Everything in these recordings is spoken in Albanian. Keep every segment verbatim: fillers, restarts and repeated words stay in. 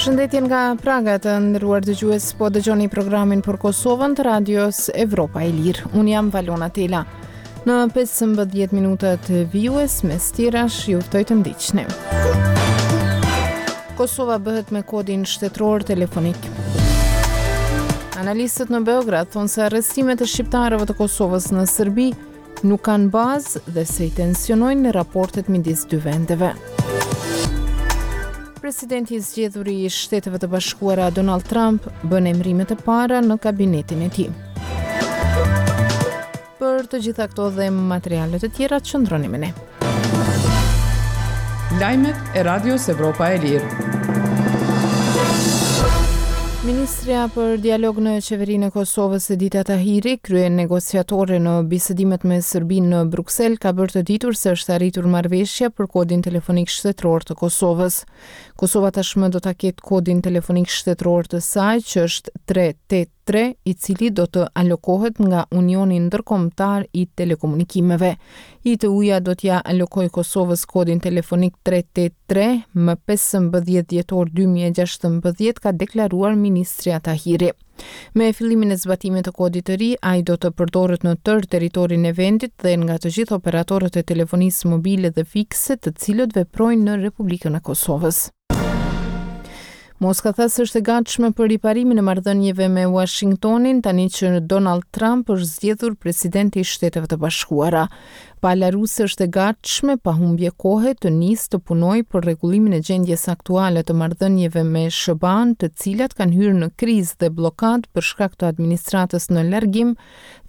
Përshëndetje nga Praga, të nderuar dëgjues, po dëgjoni programin për Kosovën të Radios Evropa e Lirë. Unë jam Valona Tela. Në pesëmbëdhjetë minutat vijues, mes tjerash, ju ftoj të ndiqni. Kosova bëhet me kodin shtetëror telefonik. Analistët në Beograd thonë se arrestimet e shqiptarëve të Kosovës në Serbi nuk kanë bazë dhe se i tensionojnë raportet midis dy vendeve. Presidenti i zgjedhur i Shteteve të Bashkuara Donald Trump bën emërimet e para në kabinetin e tij. Për të gjitha këto dhe materiale të tjera, qëndroni me ne. Lajmet e Radios Evropa e Lirë. Ministrja për dialog në qeverinë e Kosovës, Edita Tahiri, krye negociatore në bisedimet me Serbinë në Bruksel, ka bërë të ditur se është arritur marrëveshja për kodin telefonik shtetëror të Kosovës. Kosova tashmë do ta ketë kodin telefonik shtetëror të saj, që është tre tetë tre, i cili do të alokohet nga Unioni Ndërkombëtar i Telekomunikimeve. I T U-ja do t'ja alokojë Kosovës kodin telefonik tre tetë tre më pesëmbëdhjetë dhjetor dy mijë e gjashtëmbëdhjetë, ka deklaruar ministrja Tahiri. Me fillimin e zbatimit të kodit të ri, ai do të përdoret në tërë territorin e vendit dhe nga të gjithë operatorët e telefonisë mobile dhe fikse, të cilët veprojnë në Republikën e Kosovës. Moska tha se është e gatshme për riparimin e marrëdhënieve me Washingtonin tani që Donald Trump është zgjedhur presidenti i Shteteve të Bashkuara. Pala ruse është e gatshme pa humbje kohe të nisë të punojë për rregullimin e gjendjes aktuale të marrëdhënieve me S H B A-n, të cilat kanë hyrë në krizë dhe bllokadë për shkak të administratës në largim,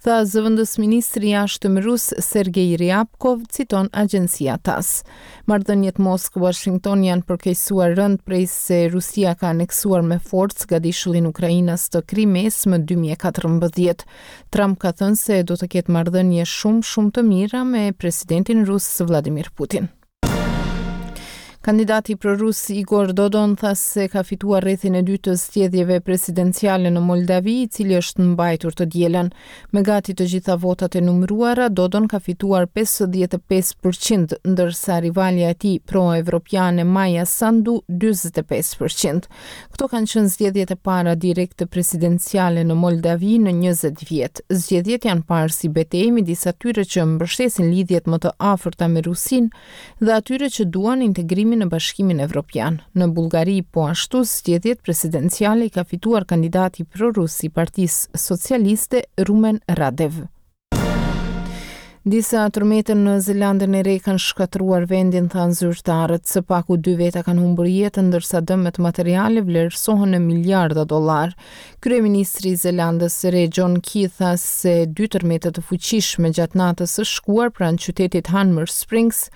tha zëvendës ministri i jashtëm rus Sergej Ryabkov, citon agjencia TASS. Marrëdhëniet Moskë-Washington janë përkeqësuar rënd prej se Rusia ka aneksuar me forcë gadishullin ukrainas të Krimesë më dy mijë e katërmbëdhjetë. Trump ka thënë se do të ketë marrëdhënie shumë shumë të mira me presidentin rus Vladimir Putin. Kandidati prorus Igor Dodon tha se ka fituar rrethin e dytë të zgjedhjeve presidenciale në Moldavi, i cili është mbajtur të dielën. Me gati të gjitha votat e numëruara, Dodon ka fituar pesëdhjetë e pesë përqind, ndërsa rivalja e tij pro-evropiane Maja Sandu dyzet e pesë përqind. Këto kanë qenë zgjedhjet e para direkte presidenciale në Moldavi në njëzet vjet. Zgjedhjet janë parë si betejë midis atyre që mbështesin lidhjet më të afërta me Rusinë dhe atyre që duan integrimin në Bashkimin Evropian. Në Bullgari, po ashtu, zgjedhjet presidenciale i ka fituar kandidati prorus i Partisë Socialiste Rumen Radev. Disa tërmete në Zelandën e Re kanë shkatërruar vendin, thanë zyrtarët. Së paku dy veta kanë humbur jetën, ndërsa dëmet materiale vlerësohen në miliarda dollar. Kryeministri i Zelandës së Re John Key tha se dy tërmete të fuqishme gjatë natës së shkuar pranë qytetit Hanmer Springs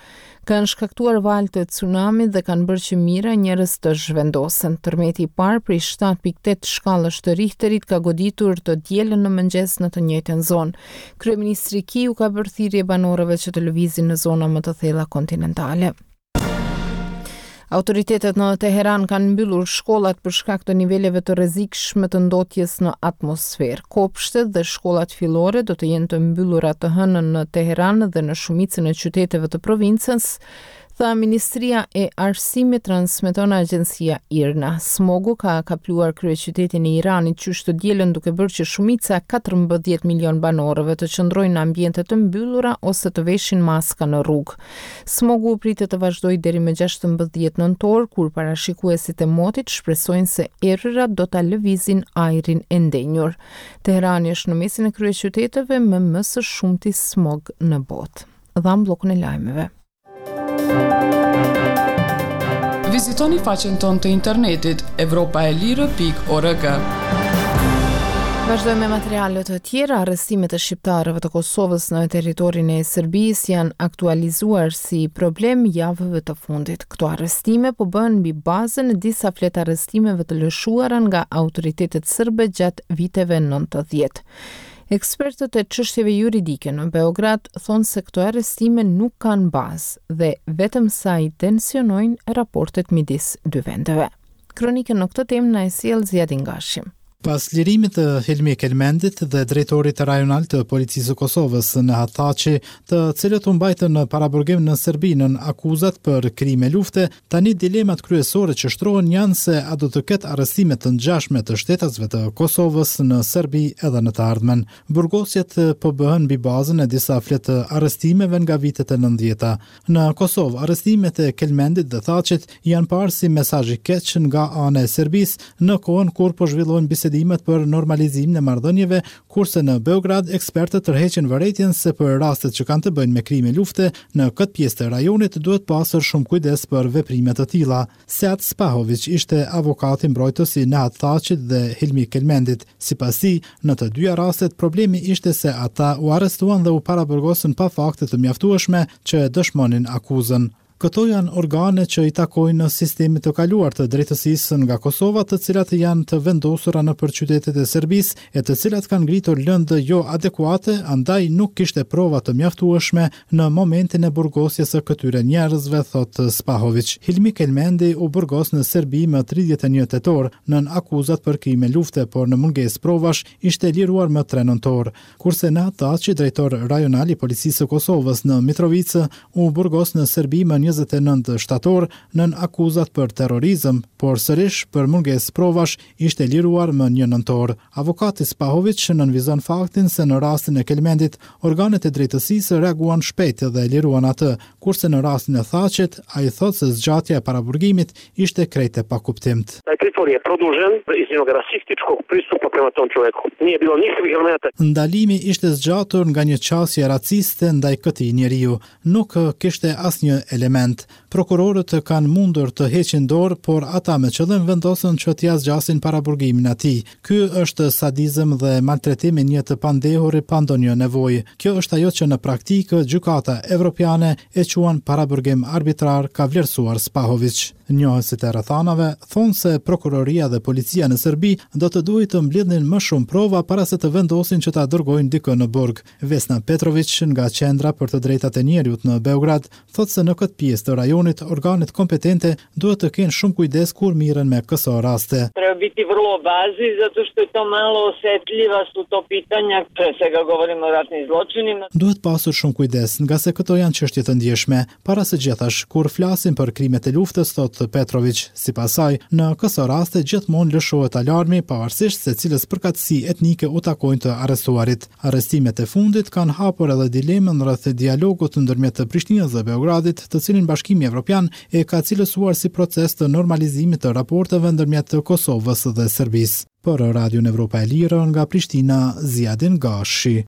kanë shkaktuar valë të tsunamit dhe kanë bërë që mijëra njerëz të zhvendosen. Tërmeti i parë prej shtatë pikë tetë shkallësh të Richterit ka goditur të dielën në mëngjes në të njëjtën zonë. Kryeministri Key u ka bërë thirrje banorëve që të lëvizin në zona më të thella kontinentale. Autoritetet në Teheran kanë mbyllur shkollat për shkak të niveleve të rrezikshme të ndotjes në atmosferë. Kopshtet dhe shkollat fillore do të jenë të mbyllura të hënën në Teheran dhe në shumicën e qyteteve të provincës, tha Ministria e Arsimit, transmeton agjencia IRNA. Smogu ka kapluar kryeqytetin e Iranit qysh të dielën, duke bërë që shumica katërmbëdhjetë milion banorëve të qëndrojnë në ambiente të mbyllura ose të veshin maska në rrugë. Smogu pritet të vazhdojë deri më gjashtëmbëdhjetë nëntor, kur parashikuesit e motit shpresojnë se erërat do ta lëvizin ajrin e ndenjur. Teherani është në mesin e kryeqyteteve me më së shumti smog në botë. Dham bllokun e lajmeve. Vizitoni faqen tonë të internetit evropaelire pikë org. Vazhdojmë me materiale të tjera. Arrestimet e shqiptarëve të Kosovës në territorin e Serbisë janë aktualizuar si problem javëve të fundit. Këto arrestime po bëhen mbi bazën e disa fletë arrestimeve të lëshuara nga autoritetet serbe gjatë viteve nëntëdhjetë. Ekspertët e çështjeve juridike në Beograd thonë se këto arrestime nuk kanë bazë dhe vetëm sa i tensionojnë raportet midis dy vendeve. Kronikën në këtë temë na e sjell Ziadin Gashi. Pas lirimit të Hilmi Kelmendit dhe drejtorit rajonal të Policisë së Kosovës Nehat Thaçi, të cilët u mbajtën në paraburgim në Serbi nën akuzat për krime lufte, tani dilemat kryesore që shtrohen janë se a do të ketë arrestime të ngjashme të shtetasve të Kosovës në Serbi edhe në të ardhmen. Burgosjet po bëhen mbi bazën e disa fletë arrestimeve nga vitet e nëntëdhjeta. Në Kosovë, arrestimet e Kelmendit dhe Thaçit janë parë si mesazh i keq nga ana e Serbisë në kohën kur po zhvillojnë bisedimet për normalizimin e marrëdhënieve, kurse në Beograd ekspertët tërheqin vërejtjen se për rastet që kanë të bëjnë me krime lufte në këtë pjesë të rajonit duhet pasur shumë kujdes për veprime të tilla. Sead Spahović ishte avokati mbrojtës i Nehat Thaçit dhe Hilmi Kelmendit. Sipas tij, në të dyja rastet problemi ishte se ata u arrestuan dhe u paraburgosën pa fakte të mjaftueshme që dëshmonin akuzën. Këto janë organe që i takojnë në sistemit të kaluar të drejtësisë nga Kosova, të cilat janë të vendosura nëpër qytetet e Serbisë e të cilat kanë ngritur lëndë jo adekuate, andaj nuk kishte prova të mjaftueshme në momentin e burgosjes së këtyre njerëzve, thotë Spahović. Hilmi Kelmendi u burgos në Serbi më tridhjetë e një tetor nën akuzat për krime lufte, por në mungesë provash ishte liruar më tre nëntor. Kurse Nehat Thaçi, drejtor rajonal i Policisë së Kosovës në Mitrovicë, u burgos në Serbi më njëzet e nëntë shtator nën akuzat për terrorizëm, por sërish për mungesë provash ishte liruar më një nëntor. Avokati Spahović nënvizon faktin se në rastin e Kelmendit, organet e drejtësisë reaguan shpejt dhe liruan atë, kurse në rastin e Thaçit, ai thotë se zgjatja e paraburgimit ishte krejt e pakuptimtë. Taj pritvor je produžen iz jednog rasističkog pristupa prema tom čoveku. Nije bilo nikakvih elemenata. Ndalimi ishte zgjatur nga një qasje raciste ndaj këtij njeriu. Nuk kishte asnjë element. Prokurorët kanë mundur të heqin dorë, por ata me qëllim vendosën që t'ia zgjasin paraburgimin atij. Ky është sadizëm dhe maltretim i një të pandehuri pa ndonjë nevojë. Kjo është ajo që në praktikë gjykata evropiane e quan paraburgim arbitrar, ka vlerësuar Spahović. Njohësit e rrethanave thonë se prokuroria dhe policia në Serbi do të duhej të mblidhnin më shumë prova para se të vendosin që ta dërgojnë dikë në burg. Vesna Petrović nga Qendra për të Drejtat e Njeriut në Beograd thotë se në këtë pjesë të rajonit organet kompetente duhet të kenë shumë kujdes kur mirren me këso raste. Treba biti vrlo obazi zato što je to malo osetljiva su to pitanja, pre svega govorimo o ratnim zločinima. Duhet pasur shumë kujdes, nga se këto janë çështje të ndjeshme. Para së gjithash, kur flasim për krimet e luftës, thotë Petrović, sipas saj, në këso raste gjithmonë lëshohet alarmi pavarësisht se cilës përkatësi etnike u takojnë të arrestuarit. Arrestimet e fundit kanë hapur edhe dilemën rreth dialogut ndërmjet Prishtinës dhe Beogradit, të cilin Bashkimi Evropian e ka cilësuar si proces të normalizimit të raporteve ndërmjet Kosovës dhe Serbisë. Për Radion Evropa e Lirë nga Prishtina, Ziadin Gashi.